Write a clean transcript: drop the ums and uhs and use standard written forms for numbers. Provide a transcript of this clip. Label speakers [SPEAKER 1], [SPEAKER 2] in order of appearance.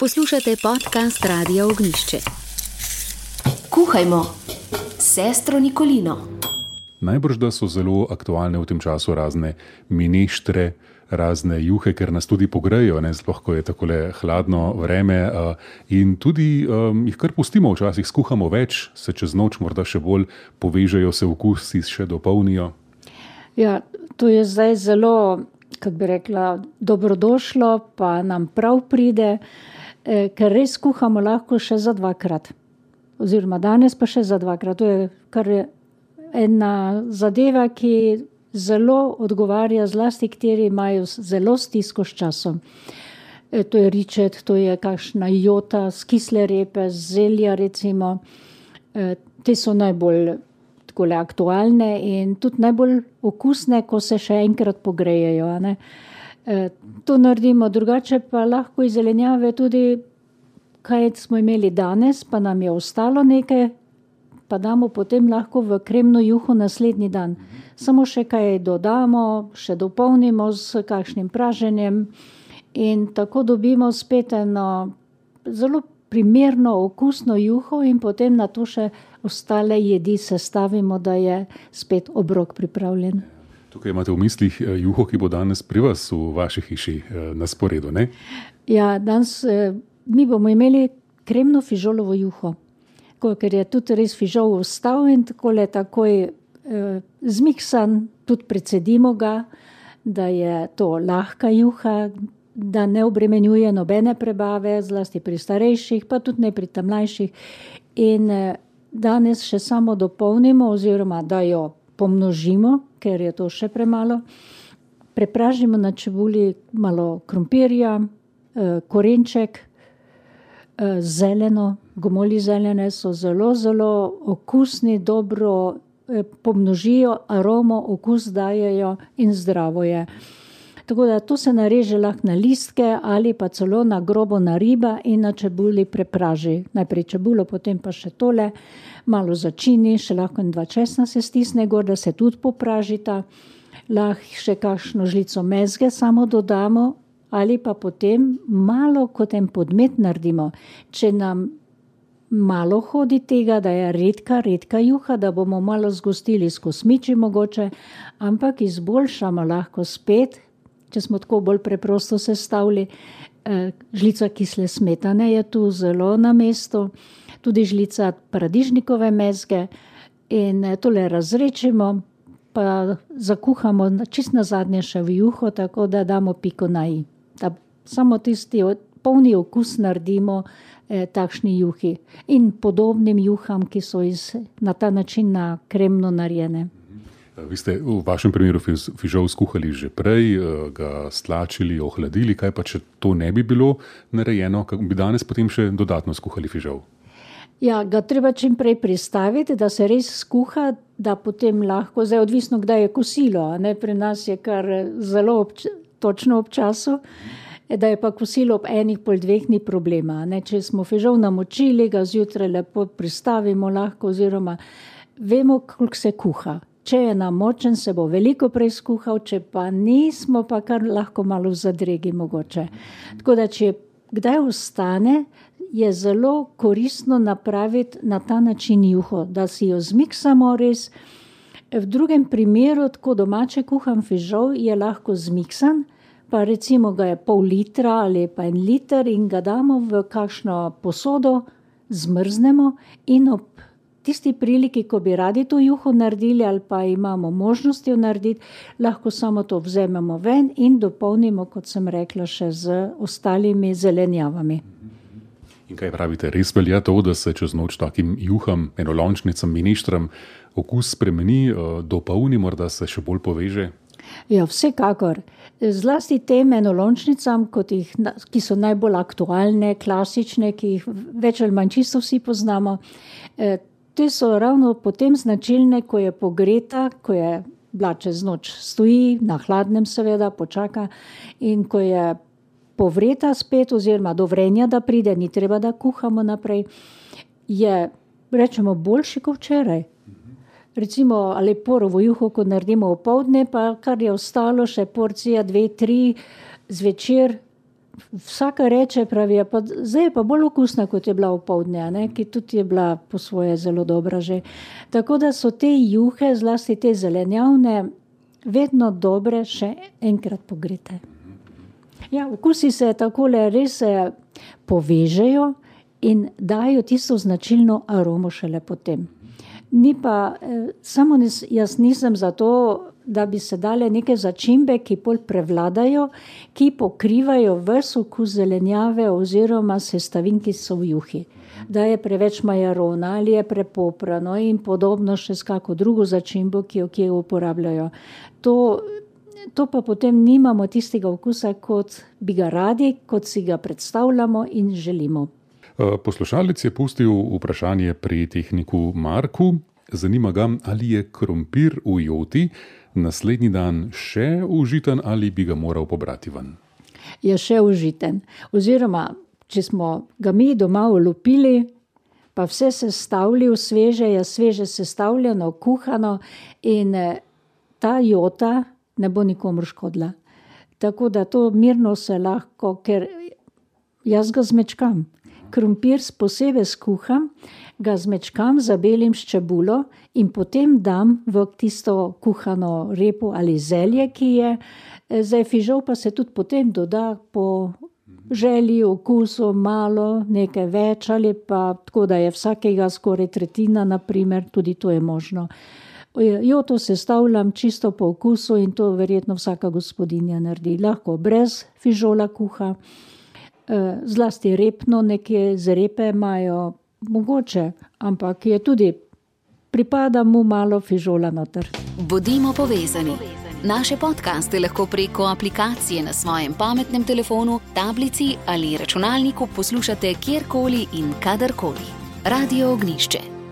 [SPEAKER 1] Poslušate podcast Radia Ognjišče. Kuhajmo, sestro Nikolino.
[SPEAKER 2] Najbrž, da so zelo aktualne v tem času razne mineštre, razne juhe, ker nas tudi pogrejo, sploh ko je takole hladno vreme, in tudi jih kar pustimo, včasih skuhamo več, se čez noč morda še bolj povežejo, se okusi še dopolnijo.
[SPEAKER 3] Ja, to je zdaj zelo, kako bi rekla, dobrodošlo, pa nam prav pride, ker res kuhamo lahko še za dvakrat. Oziroma danes pa še za dvakrat. To je kar ena zadeva, ki zelo odgovarja zlasti, kateri imajo zelo stisko s časom. To je ričet, to je kakšna jota z kisle repe, z zelja recimo. Te so najbolj takole aktualne in tudi najbolj okusne, ko se še enkrat pogrejejo, a ne. To naredimo, drugače pa lahko iz zelenjave tudi, kaj smo imeli danes, pa nam je ostalo nekaj, pa damo potem lahko v kremno juho naslednji dan. Samo še kaj dodamo, še dopolnimo s kakšnim praženjem in tako dobimo spet eno zelo primerno okusno juho in potem na to še ostale jedi sestavimo, da je spet obrok pripravljen.
[SPEAKER 2] Tukaj imate v mislih juho, ki bo danes pri vas v vaši hiši na sporedu, ne?
[SPEAKER 3] Ja, danes mi bomo imeli kremno fižolovo juho, ker je tudi res fižol ostal in takoj zmiksan, tudi precedimo ga, da je to lahka juha, da ne obremenjuje nobene prebave, zlasti pri starejših, pa tudi ne pri tam mlajših. In danes še samo dopolnimo oziroma da jo pomnožimo, ker je to še premalo. Prepražimo na čebuli malo krompirja, korenček, zeleno, gomolji zelene so zelo, zelo okusni, dobro pomnožijo aromo, okus dajejo in zdravo je. Tako da to se nareže lahko na listke ali pa celo na grobo nariba in na čebuli prepraži. Najprej čebulo, potem pa še tole, malo začini, še lahko in 2 česna se stisne gor, da se tudi popražita. Lahko še kakšno žlico mezge samo dodamo ali pa potem malo kot en podmet naredimo. Če nam malo hodi tega, da je redka juha, da bomo malo zgostili s kosmiči mogoče, ampak izboljšamo lahko spet, če smo tako bolj preprosto sestavili, žlica kisle smetane je tu zelo na mestu, tudi žlica paradižnikove mezge in tole razrečimo, pa zakuhamo čist nazadnje še v juho, tako da damo piko na i. Da samo tisti polni okus naredimo takšni juhi in podobnim juham, ki so na ta način na kremno narejene.
[SPEAKER 2] Vi ste v vašem primeru fižol skuhali že prej, ga stlačili, ohladili, kaj pa če to ne bi bilo narejeno, bi danes potem še dodatno skuhali fižol?
[SPEAKER 3] Ja, ga treba čim prej pristaviti, da se res skuha, da potem lahko, zdaj odvisno, kdaj je kosilo, a ne, pri nas je kar zelo točno ob času, da je pa kosilo ob 1:30 ni problema, a ne, če smo fižol namočili, ga zjutraj lepo pristavimo lahko oziroma vemo, koliko se kuha. Če je namočen, se bo veliko prej skuhal, če pa nismo, pa kar lahko malo v zadregi mogoče. Tako da, če kdaj ostane, je zelo koristno napraviti na ta način juho, da si jo zmiksamo res. V drugem primeru, tako domače kuhan fižol, je lahko zmiksan, pa recimo ga je pol litra ali pa 1 liter in ga damo v kakšno posodo, zmrznemo in ob tisti priliki, ko bi radi to juho naredili ali pa imamo možnost jo narediti, lahko samo to vzememo ven in dopolnimo, kot sem rekla, še z ostalimi zelenjavami.
[SPEAKER 2] In kaj pravite, res velja to, da se čez noč takim juham, enolončnicam, mineštram okus spremeni, dopolni, morda se še bolj poveže?
[SPEAKER 3] Ja, vsekakor. Zlasti tem enolončnicam, ki so najbolj aktualne, klasične, ki jih več ali manj čisto vsi poznamo, te so ravno potem značilne, ko je pogreta, ko je bila čez noč, stoji na hladnem seveda, počaka in ko je povreta spet oziroma do vrenja, da pride, ni treba, da kuhamo naprej, je, rečemo, boljši kot včeraj. Recimo, ali porovo juho, ko naredimo opoldne, pa kar je ostalo, še porcija 2, 3 zvečer, vsaka reče, pravi, zdaj je pa bolj okusna, kot je bila opoldne, ki tudi je bila po svoje zelo dobra že. Tako da so te juhe, zlasti te zelenjavne, vedno dobre še enkrat pogrete. Ja, okusi se takole res povežejo in dajo tisto značilno aromo šele potem. Ni pa, samo jaz nisem za to, da bi se dale neke začimbe, ki bolj prevladajo, ki pokrivajo ves okus zelenjave oziroma sestavin, ki so v juhi. Da je preveč majarona ali je prepoprano in podobno še s kako drugo začimbo, ki jo uporabljajo. To pa potem nimamo tistega okusa, kot bi ga radi, kot si ga predstavljamo in želimo.
[SPEAKER 2] Poslušalec je pustil vprašanje pri tehniku Marku. Zanima ga, ali je krompir v joti naslednji dan še užiten ali bi ga moral pobrati ven.
[SPEAKER 3] Je še užiten. Oziroma, če smo ga mi doma olupili, pa vse sestavili v sveže, je sveže sestavljeno, kuhano in ta jota ne bo nikomur škodila. Tako da to mirno se lahko, ker jaz ga zmečkam. Krompir posebej skuham, ga zmečkam, zabelim s čebulo in potem dam v tisto kuhano repo ali zelje, ki je. Zdaj fižol pa se tudi potem doda po želji, okusu, malo, nekaj več ali pa tako, da je vsakega skoraj tretjina, naprimer, tudi to je možno. Joto sestavljam čisto po okusu in to verjetno vsaka gospodinja naredi. Lahko brez fižola kuha. Zlasti repno, nekje z repe imajo mogoče, ampak je tudi, pripada mu malo fižola noter.
[SPEAKER 1] Bodimo povezani. Naše podcaste lahko preko aplikacije na svojem pametnem telefonu, tablici ali računalniku poslušate kjerkoli in kadarkoli. Radio Ognišče.